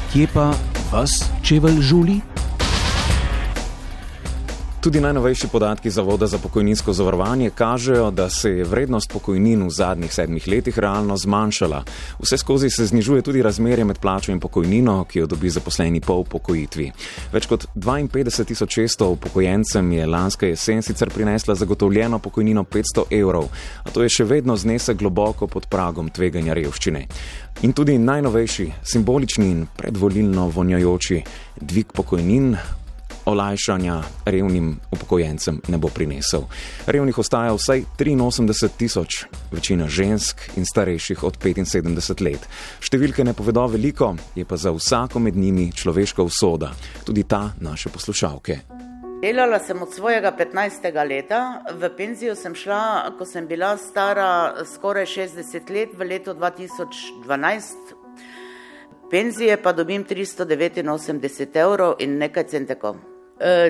Kje pa vas čevelj žuli? Tudi najnovejši podatki Zavoda za pokojninsko zavarovanje kažejo, da se je vrednost pokojnin v zadnjih 7 letih realno zmanjšala. Vse skozi se znižuje tudi razmerje med plačo in pokojnino, ki jo dobi zaposleni po upokojitvi. Več kot 52.600 upokojencem je lanska jesen sicer prinesla zagotovljeno pokojnino 500 evrov, a to je še vedno znesek globoko pod pragom tveganja revščine. In tudi najnovejši, simbolični in predvolilno vonjajoči dvig pokojnin olajšanja revnim upokojencem ne bo prinesel. Revnih ostaja vsaj 83.000, večina žensk in starejših od 75 let. Številke ne povedo veliko, je pa za vsako med njimi človeška usoda, tudi ta naše poslušalke. Delala sem od svojega 15. leta, v penzijo sem šla, ko sem bila stara skoraj 60 let, v letu 2012. Penzije pa dobim 389 evrov in nekaj centekov.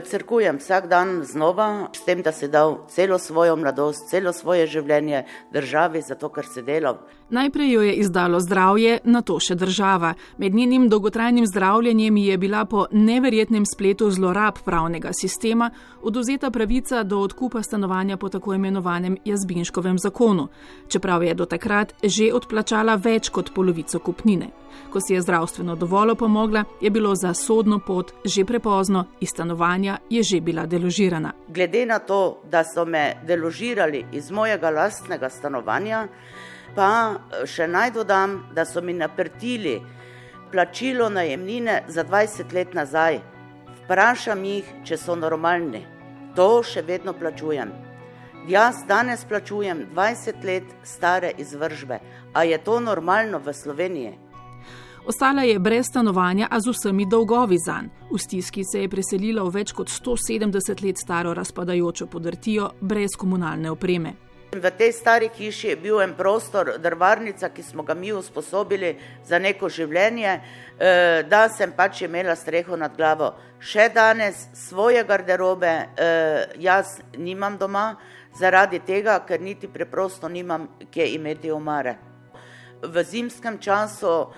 Crkujem vsak dan znova, s tem, da si dal celo svojo mladost, celo svoje življenje državi, zato ker si delal. Najprej jo je izdalo zdravje, nato še država. Med njenim dolgotrajnim zdravljenjem je bila po neverjetnem spletu zlorab pravnega sistema odvzeta pravica do odkupa stanovanja po tako imenovanem Jazbinškovem zakonu, čeprav je do takrat že odplačala več kot polovico kupnine. Ko si je zdravstveno dovolj pomogla, je bilo za sodno pot že prepozno, iz stanovanja je že bila deložirana. Glede na to, da so me deložirali iz mojega lastnega stanovanja, pa še naj dodam, da so mi naprtili plačilo najemnine za 20 let nazaj. Vprašam jih, če so normalni. To še vedno plačujem. Jaz danes plačujem 20 let stare izvržbe. A je to normalno v Sloveniji? Ostala je brez stanovanja, a z vsemi dolgovi zanj. V stiski se je preselila v več kot 170 let staro razpadajočo podrtijo brez komunalne opreme. V tej stari hiši je bil en prostor, drvarnica, ki smo ga mi usposobili za neko življenje, da sem pač imela streho nad glavo. Še danes svoje garderobe jaz nimam doma, zaradi tega, ker niti preprosto nimam kje imeti omare. V zimskem času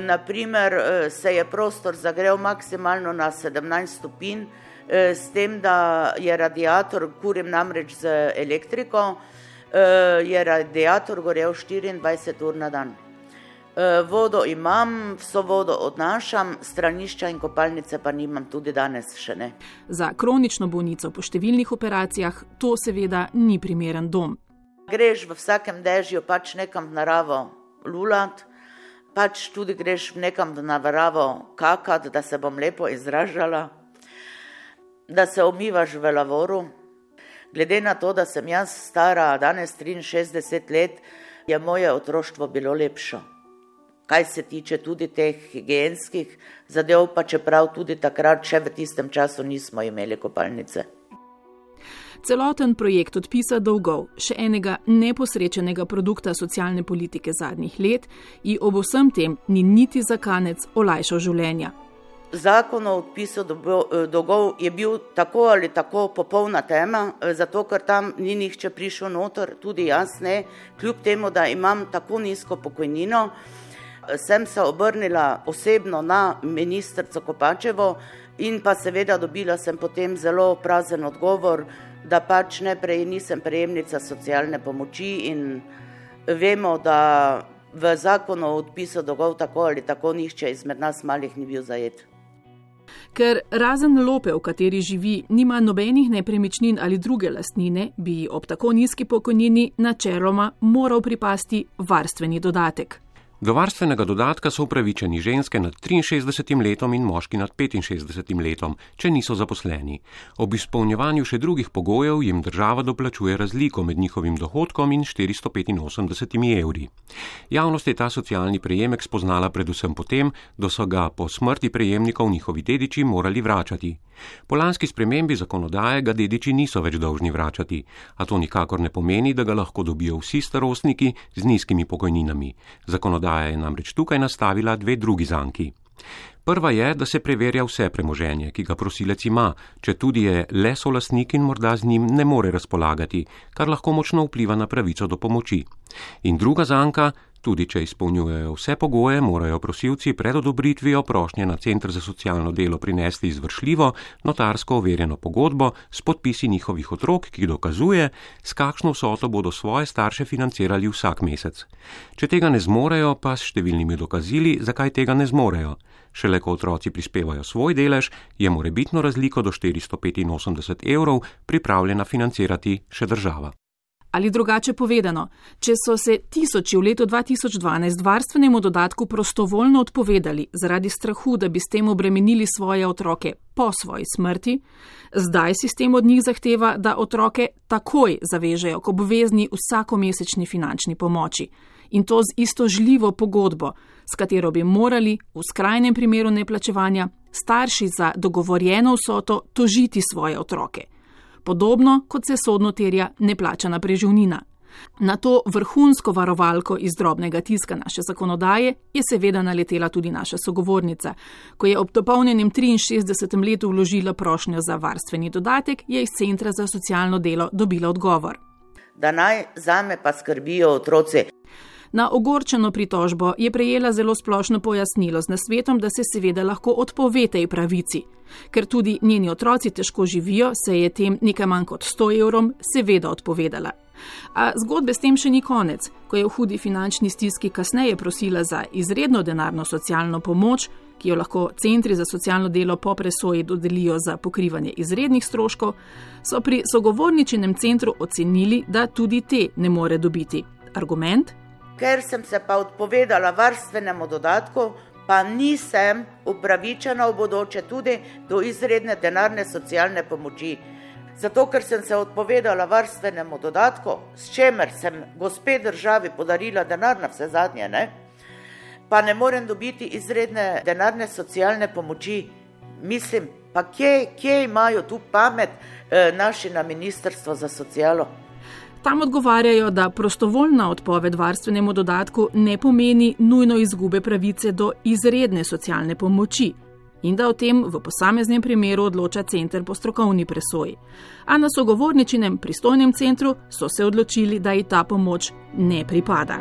naprimer se je prostor zagrel maksimalno na 17 stopinj, s tem, da je radiator, kurim namreč z elektriko, je radiator gorel 24 ur na dan. Vodo imam, vso vodo odnašam, stranišča in kopalnice pa nimam tudi danes še ne. Za kronično bolnico po številnih operacijah to seveda ni primeren dom. Greš v vsakem dežju pač nekam v naravo lulat, pač tudi greš nekam v naravo kakat, da se bom lepo izražala, da se umivaš v lavoru. Glede na to, da sem jaz stara danes 63 let, je moje otroštvo bilo lepše. Kaj se tiče tudi teh higienskih zadev, pa čeprav tudi takrat še v tistem času nismo imeli kopalnice. Celoten projekt odpisa dolgov, še enega neposrečenega produkta socialne politike zadnjih let, ji ob vsem tem ni niti za kanec olajšal življenja. Zakon o odpisu dolgov je bil tako ali tako popolna tema, zato ker tam ni nihče prišel noter, tudi jaz ne, kljub temu, da imam tako nizko pokojnino. Sem se obrnila osebno na ministrico Kopačevo in pa seveda dobila sem potem zelo prazen odgovor, da pač nisem prejemnica socialne pomoči in vemo, da v zakonu o odpisu dolgov tako ali tako nihče izmed nas malih ni bil zajet. Ker razen Lope, v kateri živi, nima nobenih nepremičnin ali druge lastnine, bi ob tako nizki pokojnini načeloma moral pripasti varstveni dodatek. Do varstvenega dodatka so upravičeni ženske nad 63 letom in moški nad 65 letom, če niso zaposleni. Ob izpolnjevanju še drugih pogojev jim država doplačuje razliko med njihovim dohodkom in 485 evri. Javnost je ta socialni prejemek spoznala predvsem potem, da so ga po smrti prejemnikov njihovi dediči morali vračati. Po lanski spremembi zakonodaje ga dediči niso več dolžni vračati, a to nikakor ne pomeni, da ga lahko dobijo vsi starostniki z nizkimi pokojninami. Zakonodaja je namreč tukaj nastavila dve drugi zanki. Prva je, da se preverja vse premoženje, ki ga prosilec ima, če tudi je le solastnik in morda z njim ne more razpolagati, kar lahko močno vpliva na pravico do pomoči. In druga zanka, Tudi če izpolnjujejo vse pogoje, morajo prosilci pred odobritvijo prošnje na Center za socialno delo prinesti izvršljivo, notarsko overjeno pogodbo s podpisi njihovih otrok, ki dokazuje, s kakšno vsoto bodo svoje starše financirali vsak mesec. Če tega ne zmorejo, pa s številnimi dokazili, zakaj tega ne zmorejo. Šele ko otroci prispevajo svoj delež, je morebitno razliko do 485 € pripravljena financirati še država. Ali drugače povedano, če so se tisoči v letu 2012 varstvenemu dodatku prostovoljno odpovedali zaradi strahu, da bi s tem obremenili svoje otroke po svoji smrti, zdaj sistem od njih zahteva, da otroke takoj zavežejo k obvezni vsakomesečni finančni pomoči. In to z istožljivo pogodbo, s katero bi morali, v skrajnem primeru neplačevanja, starši za dogovorjeno vsoto tožiti svoje otroke. Podobno, kot se sodno terja neplačana preživnina. Na to vrhunsko varovalko iz drobnega tiska naše zakonodaje je seveda naletela tudi naša sogovornica. Ko je ob dopolnjenem 63. letu vložila prošnjo za varstveni dodatek, je iz Centra za socialno delo dobila odgovor. Da naj zame pa skrbijo otroci. Na ogorčeno pritožbo je prejela zelo splošno pojasnilo z nasvetom, da se seveda lahko odpove tej pravici. Ker tudi njeni otroci težko živijo, se je tem nekaj manj kot 100 € seveda odpovedala. A zgodbe s tem še ni konec. Ko je v hudi finančni stiski kasneje prosila za izredno denarno socialno pomoč, ki jo lahko centri za socialno delo po presoji dodelijo za pokrivanje izrednih stroškov, so pri sogovorničinem centru ocenili, da tudi te ne more dobiti. Argument? Ker sem se pa odpovedala varstvenemu dodatku, pa nisem upravičena v bodoče tudi do izredne denarne socialne pomoči. Zato, ker sem se odpovedala varstvenemu dodatku, s čemer sem gospe državi podarila denar na vse zadnje, pa ne morem dobiti izredne denarne socialne pomoči. Mislim, pa kje imajo tu pamet naši na Ministrstvo za socialo? Tam odgovarjajo, da prostovoljna odpoved varstvenemu dodatku ne pomeni nujno izgube pravice do izredne socialne pomoči in da o tem v posameznem primeru odloča center po strokovni presoji. A na sogovorničinem pristojnem centru so se odločili, da ji ta pomoč ne pripada.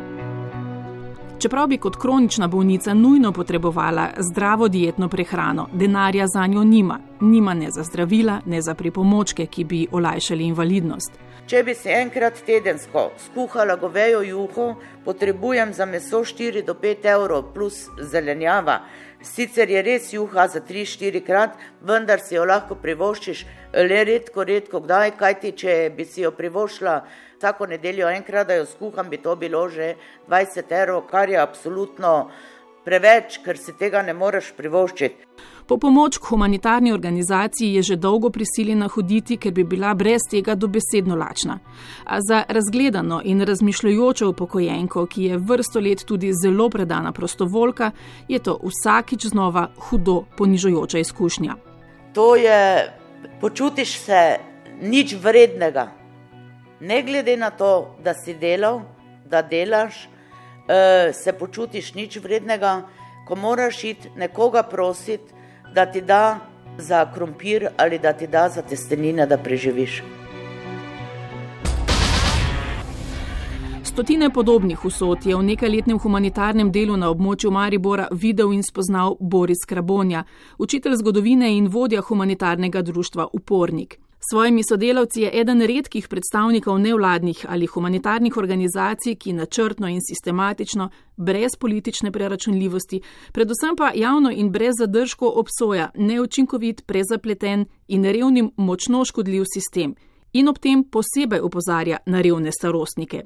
Čeprav bi kot kronična bolnica nujno potrebovala zdravo dietno prehrano, denarja zanjo nima ne za zdravila, ne za pripomočke, ki bi olajšali invalidnost. Če bi si enkrat tedensko skuhala govejo juho, potrebujem za meso 4 do 5 € plus zelenjava. Sicer je res juha za 3-4 krat, vendar si jo lahko privoščiš le redko kdaj, kajti če bi si jo privoščila vsako nedeljo enkrat, da jo skuham, bi to bilo že 20 €, kar je absolutno preveč, ker si tega ne moreš privoščiti. Po pomoč k humanitarni organizaciji je že dolgo prisiljena hoditi, ker bi bila brez tega dobesedno lačna. A za razgledano in razmišljajočo upokojenko, ki je vrsto let tudi zelo predana prostovoljka, je to vsakič znova hudo ponižujoča izkušnja. To je, počutiš se nič vrednega. Ne glede na to, da si delal, da delaš, se počutiš nič vrednega, ko moraš iti nekoga prositi, da ti da za krompir ali da ti da za testenine, da preživiš. Stotine podobnih usod je v nekajletnem humanitarnem delu na območju Maribora videl in spoznal Boris Krabonja, učitelj zgodovine in vodja humanitarnega društva Upornik. S svojimi sodelavci je eden redkih predstavnikov nevladnih ali humanitarnih organizacij, ki načrtno in sistematično, brez politične preračunljivosti, predvsem pa javno in brez zadržkov obsoja neučinkovit, prezapleten in revnim močno škodljiv sistem in ob tem posebej opozarja na revne starostnike.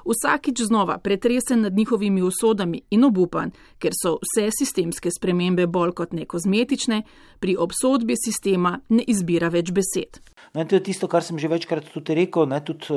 Vsakič znova pretresen nad njihovimi usodami in obupan, ker so vse sistemske spremembe bolj kot ne kozmetične, pri obsodbi sistema ne izbira več besed. No, to je tisto, kar sem že večkrat tudi rekel, tudi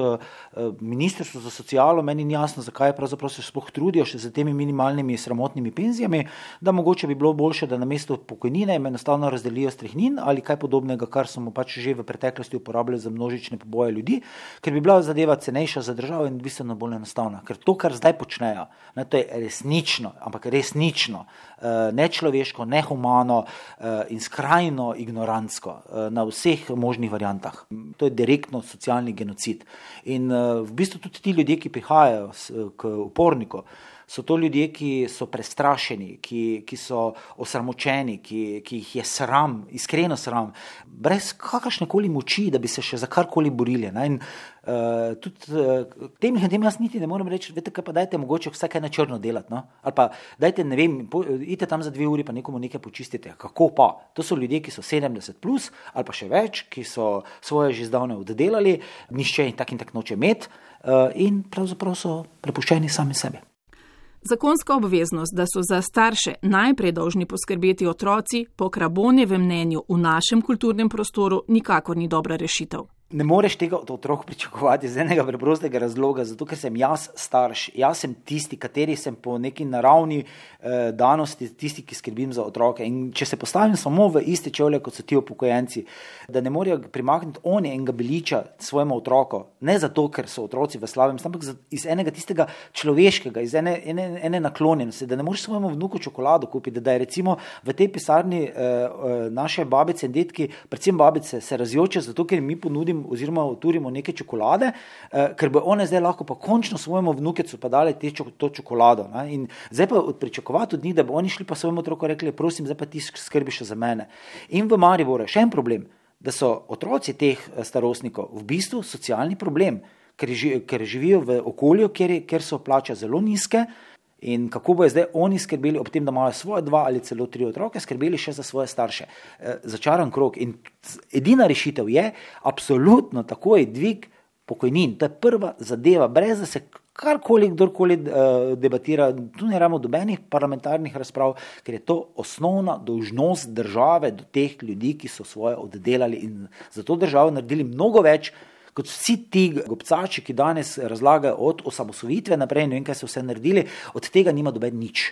Ministrstvo za socialo, meni ni jasno, zakaj pravzaprav se sploh trudijo še za temi minimalnimi sramotnimi penzijami, da mogoče bi bilo boljše, da namesto pokojnine jim enostavno razdelijo strehnin ali kaj podobnega, kar smo pač že v preteklosti uporabljali za množične poboje ljudi, ker bi bila zadeva cenejša za državo in bistveno bolj enostavna. Ker to, kar zdaj počnejo, to je resnično, ampak resnično, nečloveško, nehumano in skrajno ignorantsko na vseh možnih variantah. To je direktno socialni genocid. In v bistvu tudi ti ljudje, ki prihajajo k Uporniku, So to ljudje, ki so prestrašeni, ki so osramočeni, ki jih je sram, iskreno sram, brez kakršnekoli moči, da bi se še za karkoli borili. In tudi tem jaz niti ne morem reči, veste kaj, pa dajte mogoče vsaj kaj na črno delati, no? Ali pa dajte, ne vem, idite tam za 2 uri pa nekomu nekaj počistite. Kako pa? To so ljudje, ki so 70 plus ali pa še več, ki so svoje že zdavne oddelali, nišče in tak noče imeti in pravzaprav so prepuščeni sami sebi. Zakonska obveznost, da so za starše najprej dolžni poskrbeti otroci, po Krabonjevem mnenju v našem kulturnem prostoru nikakor ni dobra rešitev. Ne moreš tega od otrok pričakovati iz enega preprostega razloga, zato ker sem jaz starš, jaz sem tisti, kateri sem po neki naravni danosti, tisti, ki skrbim za otroke. In če se postavim samo v iste čevlje, kot so ti upokojenci, da ne morejo primakniti oni enega beliča svojemu otroku, ne zato, ker so otroci v slabem, ampak iz enega tistega človeškega, iz ene naklonjenosti, da ne moreš svojemu vnuku čokolado kupiti, da je recimo v tej pisarni naše babice in detki, predvsem babice, se razjoče zato, ker mi ponudimo oziroma uturimo neke čokolade, ker bo one zdaj lahko pa končno svojemu vnukecu pa dali to čokolado. Ne? In zdaj pa pričakovati od njih, da bo oni šli pa svojemu otroku rekli, prosim, zdaj pa ti skrbiš za mene. In v Mariboru še en problem, da so otroci teh starostnikov v bistvu socialni problem, ker živijo v okolju, kjer so plače zelo nizke. In kako bojo zdaj oni skrbeli ob tem, da imajo svoje 2 ali celo 3 otroke, skrbeli še za svoje starše. Začaran krog. In edina rešitev je absolutno takoj dvig pokojnin. To je prva zadeva, brez da se kdorkoli debatira. Tu ne rabimo dobenih parlamentarnih razprav, ker je to osnovna dolžnost države do teh ljudi, ki so svoje oddelali in za to državo naredili mnogo več, kot vsi ti gobcači, ki danes razlagajo od osamosvojitve naprej, ne vem, kaj so vse naredili, od tega nima doben nič.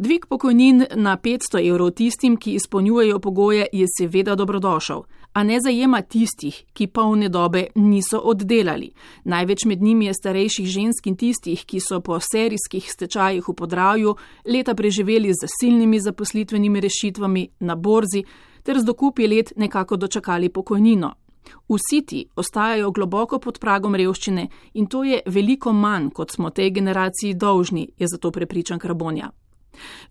Dvig pokojnin na 500 evrov tistim, ki izpolnjujejo pogoje, je seveda dobrodošel, a ne zajema tistih, ki polne dobe niso oddelali. Največ med njimi je starejših žensk in tistih, ki so po serijskih stečajih v Podravju leta preživeli z zasilnimi zaposlitvenimi rešitvami na borzi ter z dokupi let nekako dočakali pokojnino. Vsi ti ostajajo globoko pod pragom revščine in to je veliko manj, kot smo tej generaciji dolžni, je zato prepričan Krabonja.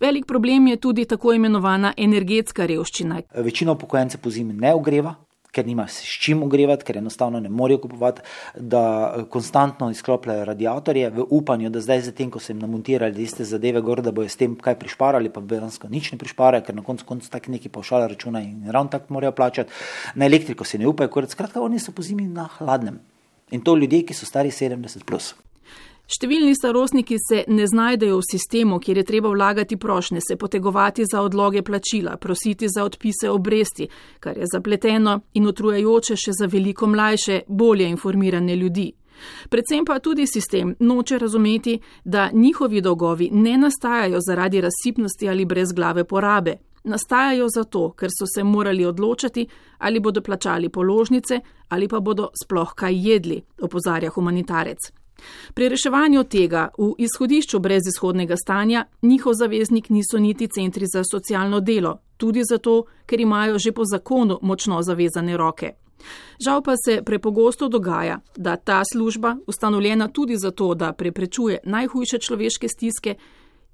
Velik problem je tudi tako imenovana energetska revščina. Večina upokojencev pozimi ne ogreva, ker nima s čim ogrevati, ker enostavno ne morejo kupovati, da konstantno izklopljajo radiatorje v upanju, da zdaj zatem, ko so jim namontirali iste zadeve gor, da bojo s tem kaj prišparali, pa dejansko nič ne prišparajo, ker na koncu tak neki pavšal računa in ravno tako morajo plačati. Na elektriko se ne upajo, skratka, oni so pozimi na hladnem. In to ljudje, ki so stari 70 plus. Številni starostniki se ne znajdejo v sistemu, kjer je treba vlagati prošnje, se potegovati za odloge plačila, prositi za odpise obresti, kar je zapleteno in utrujajoče še za veliko mlajše, bolje informirane ljudi. Predvsem pa tudi sistem noče razumeti, da njihovi dolgovi ne nastajajo zaradi razsipnosti ali brezglave porabe. Nastajajo zato, ker so se morali odločati, ali bodo plačali položnice ali pa bodo sploh kaj jedli, opozarja humanitarec. Pri reševanju tega v izhodišču brezizhodnega stanja njihov zaveznik niso niti centri za socialno delo, tudi zato, ker imajo že po zakonu močno zavezane roke. Žal pa se prepogosto dogaja, da ta služba, ustanovljena tudi zato, da preprečuje najhujše človeške stiske,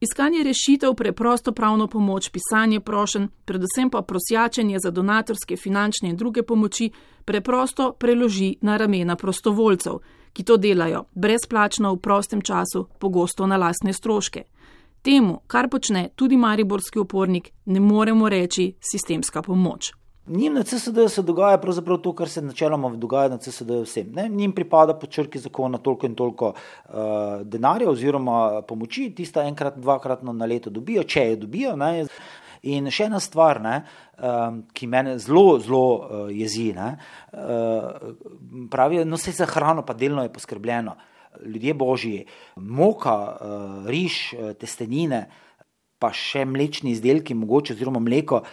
iskanje rešitev, preprosto pravno pomoč, pisanje prošenj, predvsem pa prosjačenje za donatorske, finančne in druge pomoči, preprosto preloži na ramena prostovoljcev, ki to delajo brezplačno v prostem času, pogosto na lastne stroške. Temu, kar počne tudi mariborski upornik, ne moremo reči sistemska pomoč. Njim na CSD se dogaja pravzaprav to, kar se načeloma dogaja na CSD vsem. Njim pripada po črki zakona toliko in toliko denarja oziroma pomoči, tista enkrat, dvakratno na leto dobijo, če je dobijo. Ne. In še ena stvar, ki mene zelo jezi, pravijo, no se za hrano pa delno je poskrbljeno. Ljudje božji, moka, riž, testenine, pa še mlečni izdelki, mogoče oziroma mleko,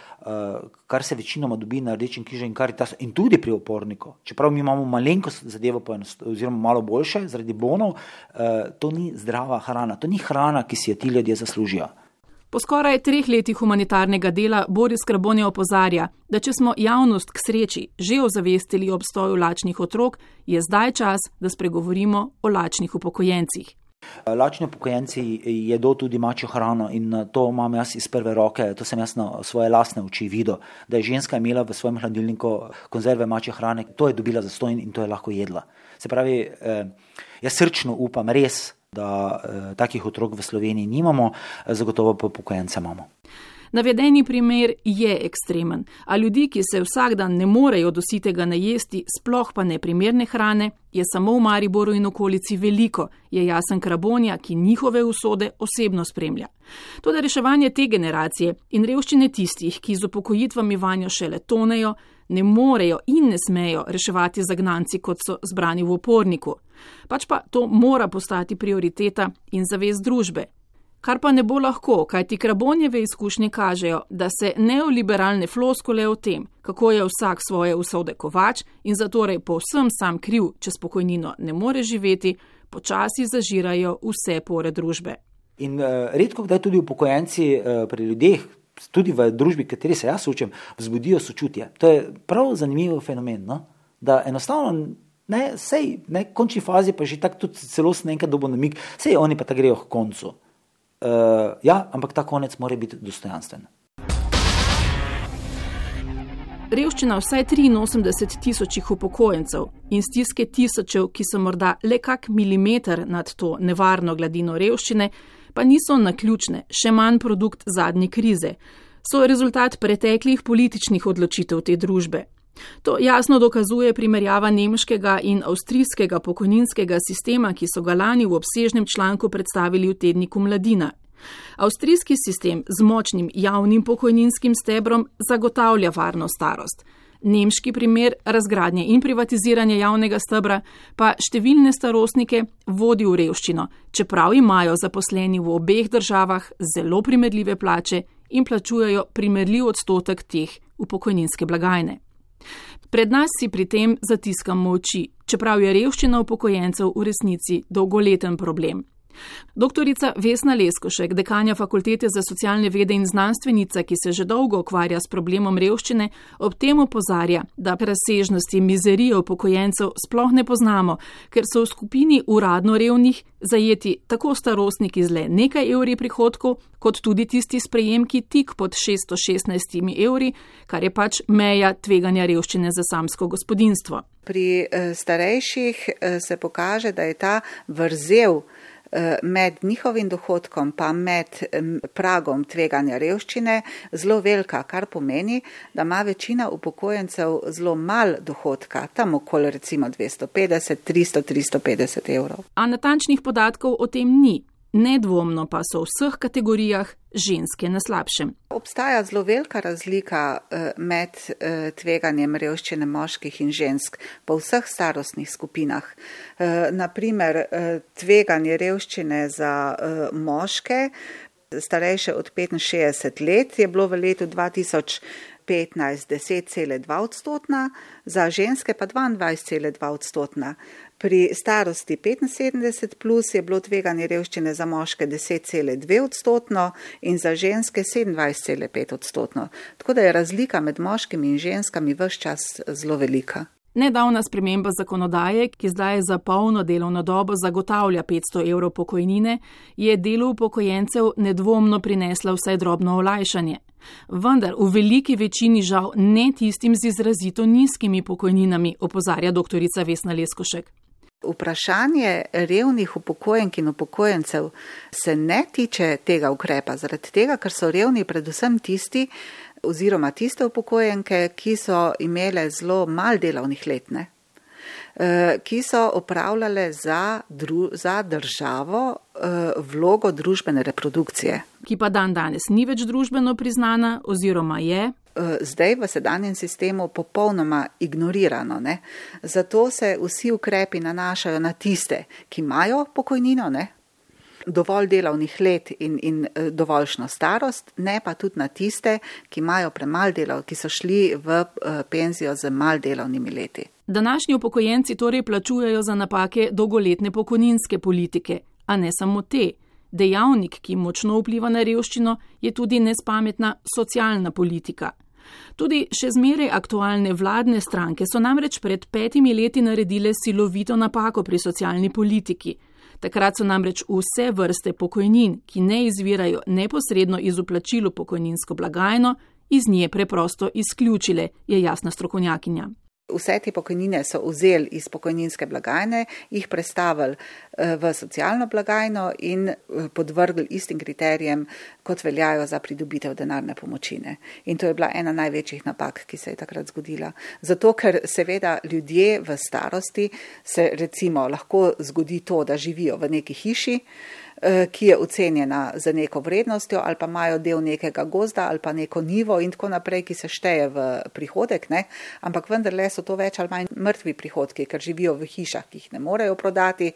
kar se večinoma dobi na Rdečem križu in Karitasu in tudi pri uporniku. Čeprav mi imamo malenko zadevo oziroma malo boljše zaradi bonov, to ni zdrava hrana, to ni hrana, ki si jo ti ljudje zaslužijo. Po skoraj 3 letih humanitarnega dela Boris Krabonja opozarja, da če smo javnost k sreči že ozavestili obstoju lačnih otrok, je zdaj čas, da spregovorimo o lačnih upokojencih. Lačni upokojenci jedo tudi mačjo hrano in to imam jaz iz prve roke, to sem jaz na svoje lastne oči videl, da je ženska imela v svojem hladilniku konzerve mačje hrane, to je dobila zastonj in to je lahko jedla. Se pravi, jaz srčno upam res, da takih otrok v Sloveniji nimamo, zagotovo pa upokojence imamo. Navedeni primer je ekstremen, a ljudi, ki se vsak dan ne morejo do sitega najesti, sploh pa neprimerne hrane, je samo v Mariboru in okolici veliko, je Jasen Krabonja, ki njihove usode osebno spremlja. Toda reševanje te generacije in revščine tistih, ki z upokojitvami vanjo šele tonejo, ne morejo in ne smejo reševati zagnanci, kot so zbrani v Oporniku. Pač pa to mora postati prioriteta in zavest družbe. Kar pa ne bo lahko, kajti Krabonjeve izkušnje kažejo, da se neoliberalne floskule o tem, kako je vsak svoje usode kovač in zatorej povsem sam kriv, če s pokojnino ne more živeti, počasi zažirajo vse pore družbe. In redko kdaj tudi upokojenci pri ljudeh, tudi v družbi, kateri se jaz učim, vzbudijo sočutje. To je prav zanimiv fenomen, no? Da enostavno končni fazi pa že tako tudi celo nekaj dobo namig, sej oni pa tako grejo k koncu. Ampak ta konec mora biti dostojanstven. Revščina vsaj 83,000 upokojencev in stiske tisočev, ki so morda le kak milimeter nad to nevarno gladino revščine, pa niso naključne, še manj produkt zadnje krize. So rezultat preteklih političnih odločitev te družbe. To jasno dokazuje primerjava nemškega in avstrijskega pokojninskega sistema, ki so ga lani v obsežnem članku predstavili v tedniku Mladina. Avstrijski sistem z močnim javnim pokojninskim stebrom zagotavlja varno starost. Nemški primer razgradnje in privatiziranja javnega stebra pa številne starostnike vodi v revščino, čeprav imajo zaposleni v obeh državah zelo primerljive plače in plačujejo primerljiv odstotek teh v pokojninske blagajne. Pred nas si pri tem zatiskamo oči, čeprav je revščina upokojencev v resnici dolgoleten problem. Doktorica Vesna Leskošek, dekanja Fakultete za socialne vede in znanstvenica, ki se že dolgo ukvarja s problemom revščine, ob tem opozarja, da razsežnosti mizerije upokojencev sploh ne poznamo, ker so v skupini uradno revnih zajeti tako starostniki z le nekaj evri prihodkov, kot tudi tisti s prejemki tik pod 616 evri, kar je pač meja tveganja revščine za samsko gospodinjstvo. Pri starejših se pokaže, da je ta vrzel med njihovim dohodkom pa med pragom tveganja revščine zelo velika, kar pomeni, da ima večina upokojencev zelo mal dohodka, tam okoli recimo 250, 300, 350 evrov. A natančnih podatkov o tem ni. Nedvomno pa so v vseh kategorijah ženske na slabšem. Obstaja zelo velika razlika med tveganjem revščine moških in žensk po vseh starostnih skupinah. Naprimer, tveganje revščine za moške, starejše od 65 let, je bilo v letu 2015 10,2%, za ženske pa 22,2%. Pri starosti 75 plus je bilo tveganje revščine za moške 10,2% in za ženske 27,5%. Tako da je razlika med moškimi in ženskami ves čas zelo velika. Nedavna sprememba zakonodaje, ki zdaj za polno delovno dobo zagotavlja 500 evrov pokojnine, je delu upokojencev nedvomno prinesla vsaj drobno olajšanje. Vendar v veliki večini žal ne tistim z izrazito nizkimi pokojninami, opozarja doktorica Vesna Leskošek. Vprašanje revnih upokojenk in upokojencev se ne tiče tega ukrepa, zaradi tega, ker so revni predvsem tisti oziroma tiste upokojenke, ki so imele zelo malo delovnih let, ki so opravljale za državo vlogo družbene reprodukcije. Ki pa danes ni več družbeno priznana oziroma je zdaj v sedanjem sistemu popolnoma ignorirano. Zato se vsi ukrepi nanašajo na tiste, ki imajo pokojnino, dovolj delovnih let in dovoljšno starost, ne pa tudi na tiste, ki imajo premalo delov, ki so šli v penzijo z malo delovnimi leti. Današnji upokojenci torej plačujejo za napake dolgoletne pokojninske politike, a ne samo te. Dejavnik, ki močno vpliva na revščino, je tudi nespametna socialna politika. Tudi še zmeraj aktualne vladne stranke so namreč pred 5 leti naredile silovito napako pri socialni politiki. Takrat so namreč vse vrste pokojnin, ki ne izvirajo neposredno iz vplačil v pokojninsko blagajno, iz nje preprosto izključile, je jasna strokovnjakinja. Vse te pokojnine so vzeli iz pokojninske blagajne, jih prestavili v socialno blagajno in podvrgli istim kriterijem, kot veljajo za pridobitev denarne pomočine. In to je bila ena največjih napak, ki se je takrat zgodila. Zato, ker seveda ljudje v starosti se recimo lahko zgodi to, da živijo v neki hiši, ki je ocenjena za neko vrednostjo ali pa imajo del nekega gozda ali pa neko nivo in tako naprej, ki se šteje v prihodek, ne? Ampak vendarle so to več ali manj mrtvi prihodki, ker živijo v hišah, ki jih ne morejo prodati,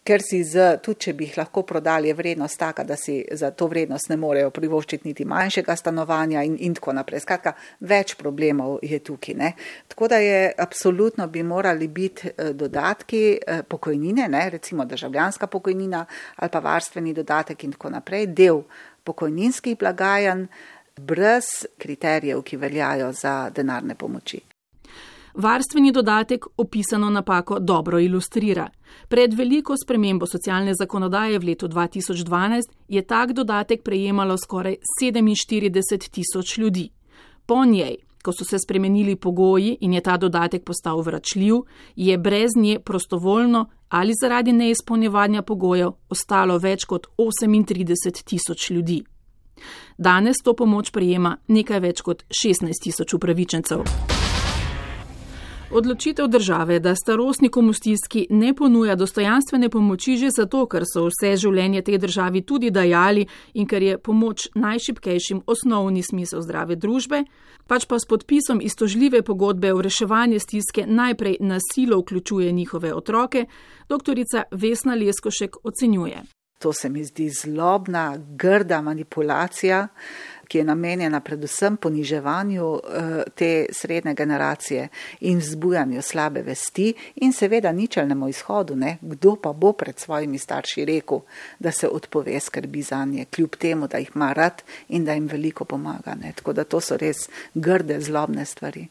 ker si tudi če bi jih lahko prodali, je vrednost taka, da si za to vrednost ne morejo privoščiti niti manjšega stanovanja in tako naprej. Skratka, več problemov je tukaj, ne? Tako da je absolutno bi morali biti dodatki pokojnine, ne? Recimo državljanska pokojnina ali pa varstveni dodatek in tako naprej, del pokojninskih blagajen brez kriterijev, ki veljajo za denarne pomoči. Varstveni dodatek opisano napako dobro ilustrira. Pred veliko spremembo socialne zakonodaje v letu 2012 je tak dodatek prejemalo skoraj 47 tisoč ljudi. Po njej, ko so se spremenili pogoji in je ta dodatek postal vračljiv, je brez nje prostovoljno ali zaradi neizpolnjevanja pogojev ostalo več kot 38 tisoč ljudi. Danes to pomoč prejema nekaj več kot 16 tisoč upravičencev. Odločitev države, da starostnikom v stiski ne ponuja dostojanstvene pomoči že zato, ker so vse življenje tej državi tudi dajali in ker je pomoč najšibkejšim osnovni smisel zdrave družbe, pač pa s podpisom iztožljive pogodbe o reševanje stiske najprej na silo vključuje njihove otroke, doktorica Vesna Leskošek ocenjuje. To se mi zdi zlobna, grda manipulacija, ki je namenjena predvsem poniževanju te srednje generacije in vzbujanju slabe vesti in seveda ničelnemu izhodu, ne? Kdo pa bo pred svojimi starši rekel, da se odpove skrbi zanje, kljub temu, da jih ima rad in da jim veliko pomaga. Ne? Tako da to so res grde, zlobne stvari.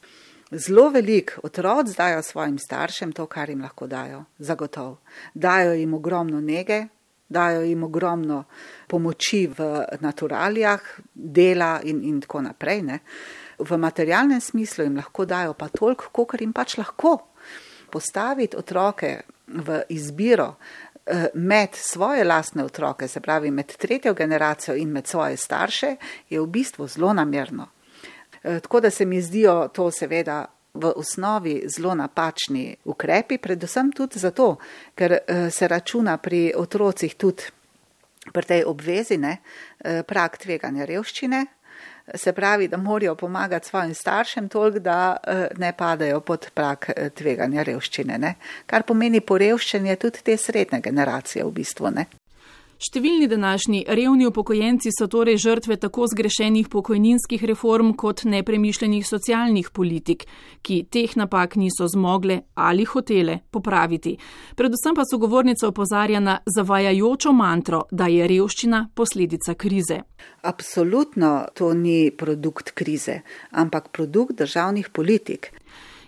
Zelo velik otroci dajo svojim staršem to, kar jim lahko dajo, zagotovo. Dajo jim ogromno nege, dajo jim ogromno pomoči v naturalijah, dela in tako naprej. Ne. V materialnem smislu jim lahko dajo pa toliko, kolikor jim pač lahko. Postaviti otroke v izbiro med svoje lastne otroke, se pravi med tretjo generacijo in med svoje starše, je v bistvu zelo namerno. Tako da se mi zdijo to seveda v osnovi zelo napačni ukrepi, predvsem tudi zato, ker se računa pri otrocih tudi pri tej obvezi, ne, prag tveganja revščine, se pravi, da morajo pomagati svojim staršem toliko, da ne padajo pod prag tveganja revščine, ne, kar pomeni porevščenje tudi te srednje generacije v bistvu, ne. Številni današnji revni upokojenci so torej žrtve tako zgrešenih pokojninskih reform kot nepremišljenih socialnih politik, ki teh napak niso zmogle ali hotele popraviti. Predvsem pa sogovornica opozarja na zavajajočo mantro, da je revščina posledica krize. Absolutno to ni produkt krize, ampak produkt državnih politik.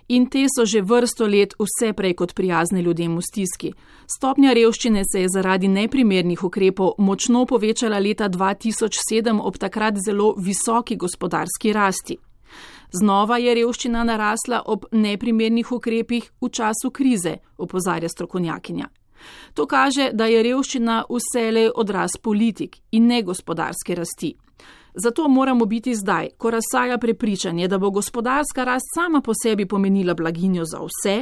In te so že vrsto let vse prej kot prijazne ljudem v stiski. Stopnja revščine se je zaradi neprimernih ukrepov močno povečala leta 2007 ob takrat zelo visoki gospodarski rasti. Znova je revščina narasla ob neprimernih ukrepih v času krize, opozarja strokovnjakinja. To kaže, da je revščina vselej odraz politik in ne gospodarske rasti. Zato moramo biti zdaj, ko razsaja prepričanje, da bo gospodarska rast sama po sebi pomenila blaginjo za vse,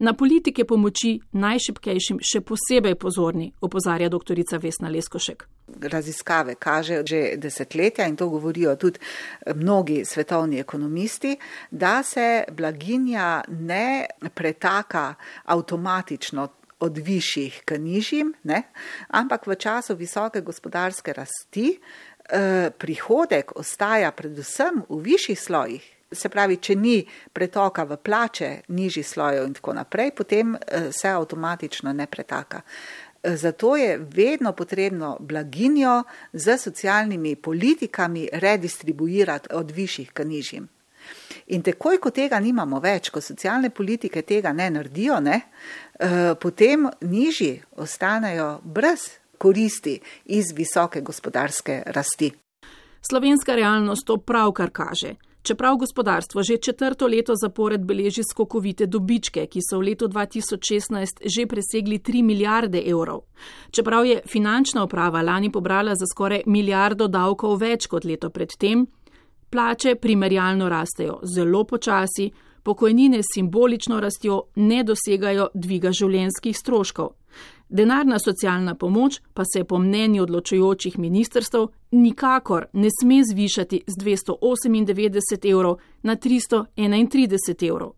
na politike pomoči najšibkejšim še posebej pozorni, opozarja doktorica Vesna Leskošek. Raziskave kažejo že desetletja in to govorijo tudi mnogi svetovni ekonomisti, da se blaginja ne pretaka avtomatično od višjih k nižjim, ne? Ampak v času visoke gospodarske rasti prihodek ostaja predvsem v višjih slojih. Se pravi, če ni pretoka v plače nižjih slojev in tako naprej, potem se avtomatično ne pretaka. Zato je vedno potrebno blaginjo z socialnimi politikami redistribuirati od višjih k nižjim. In takoj, ko tega nimamo več, ko socialne politike tega ne naredijo, potem nižji ostanejo brez koristi iz visoke gospodarske rasti. Slovenska realnost to pravkar kaže. Čeprav gospodarstvo že 4. leto zapored beleži skokovite dobičke, ki so v letu 2016 že presegli 3 milijarde evrov. Čeprav je finančna uprava lani pobrala za skoraj milijardo davkov več kot leto predtem, plače primerjalno rastejo zelo počasi, pokojnine s simbolično rastjo ne dosegajo dviga življenjskih stroškov. Denarna socialna pomoč pa se po mnenju odločujočih ministrstev nikakor ne sme zvišati z 298 evrov na 331 evrov.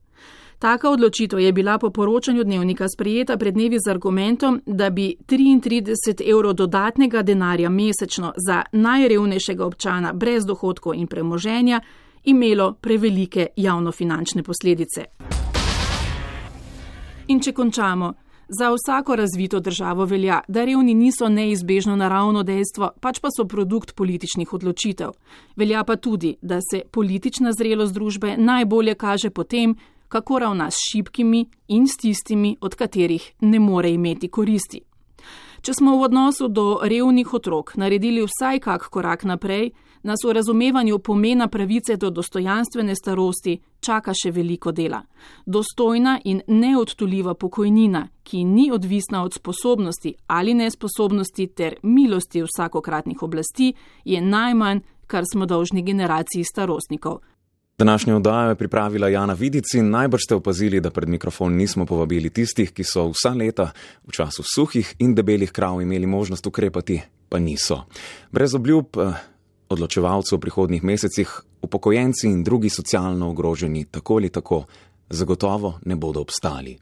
Taka odločitev je bila po poročanju Dnevnika sprejeta pred dnevi z argumentom, da bi 33 evrov dodatnega denarja mesečno za najrevnejšega občana brez dohodkov in premoženja imelo prevelike javnofinančne posledice. In če končamo, za vsako razvito državo velja, da revni niso neizbežno naravno dejstvo, pač pa so produkt političnih odločitev. Velja pa tudi, da se politična zrelost družbe najbolje kaže po tem, kako ravna s šibkimi in s tistimi, od katerih ne more imeti koristi. Če smo v odnosu do revnih otrok naredili vsaj kak korak naprej, nas v razumevanju pomena pravice do dostojanstvene starosti čaka še veliko dela. Dostojna in neodtuljiva pokojnina, ki ni odvisna od sposobnosti ali nesposobnosti ter milosti vsakokratnih oblasti, je najmanj, kar smo dolžni generaciji starostnikov. Današnjo oddajo je pripravila Jana Vidic in najbrž ste opazili, da pred mikrofon nismo povabili tistih, ki so vsa leta v času suhih in debelih krav imeli možnost ukrepati, pa niso. Brez obljub odločevalcev v prihodnjih mesecih upokojenci in drugi socialno ogroženi tako ali tako zagotovo ne bodo obstali.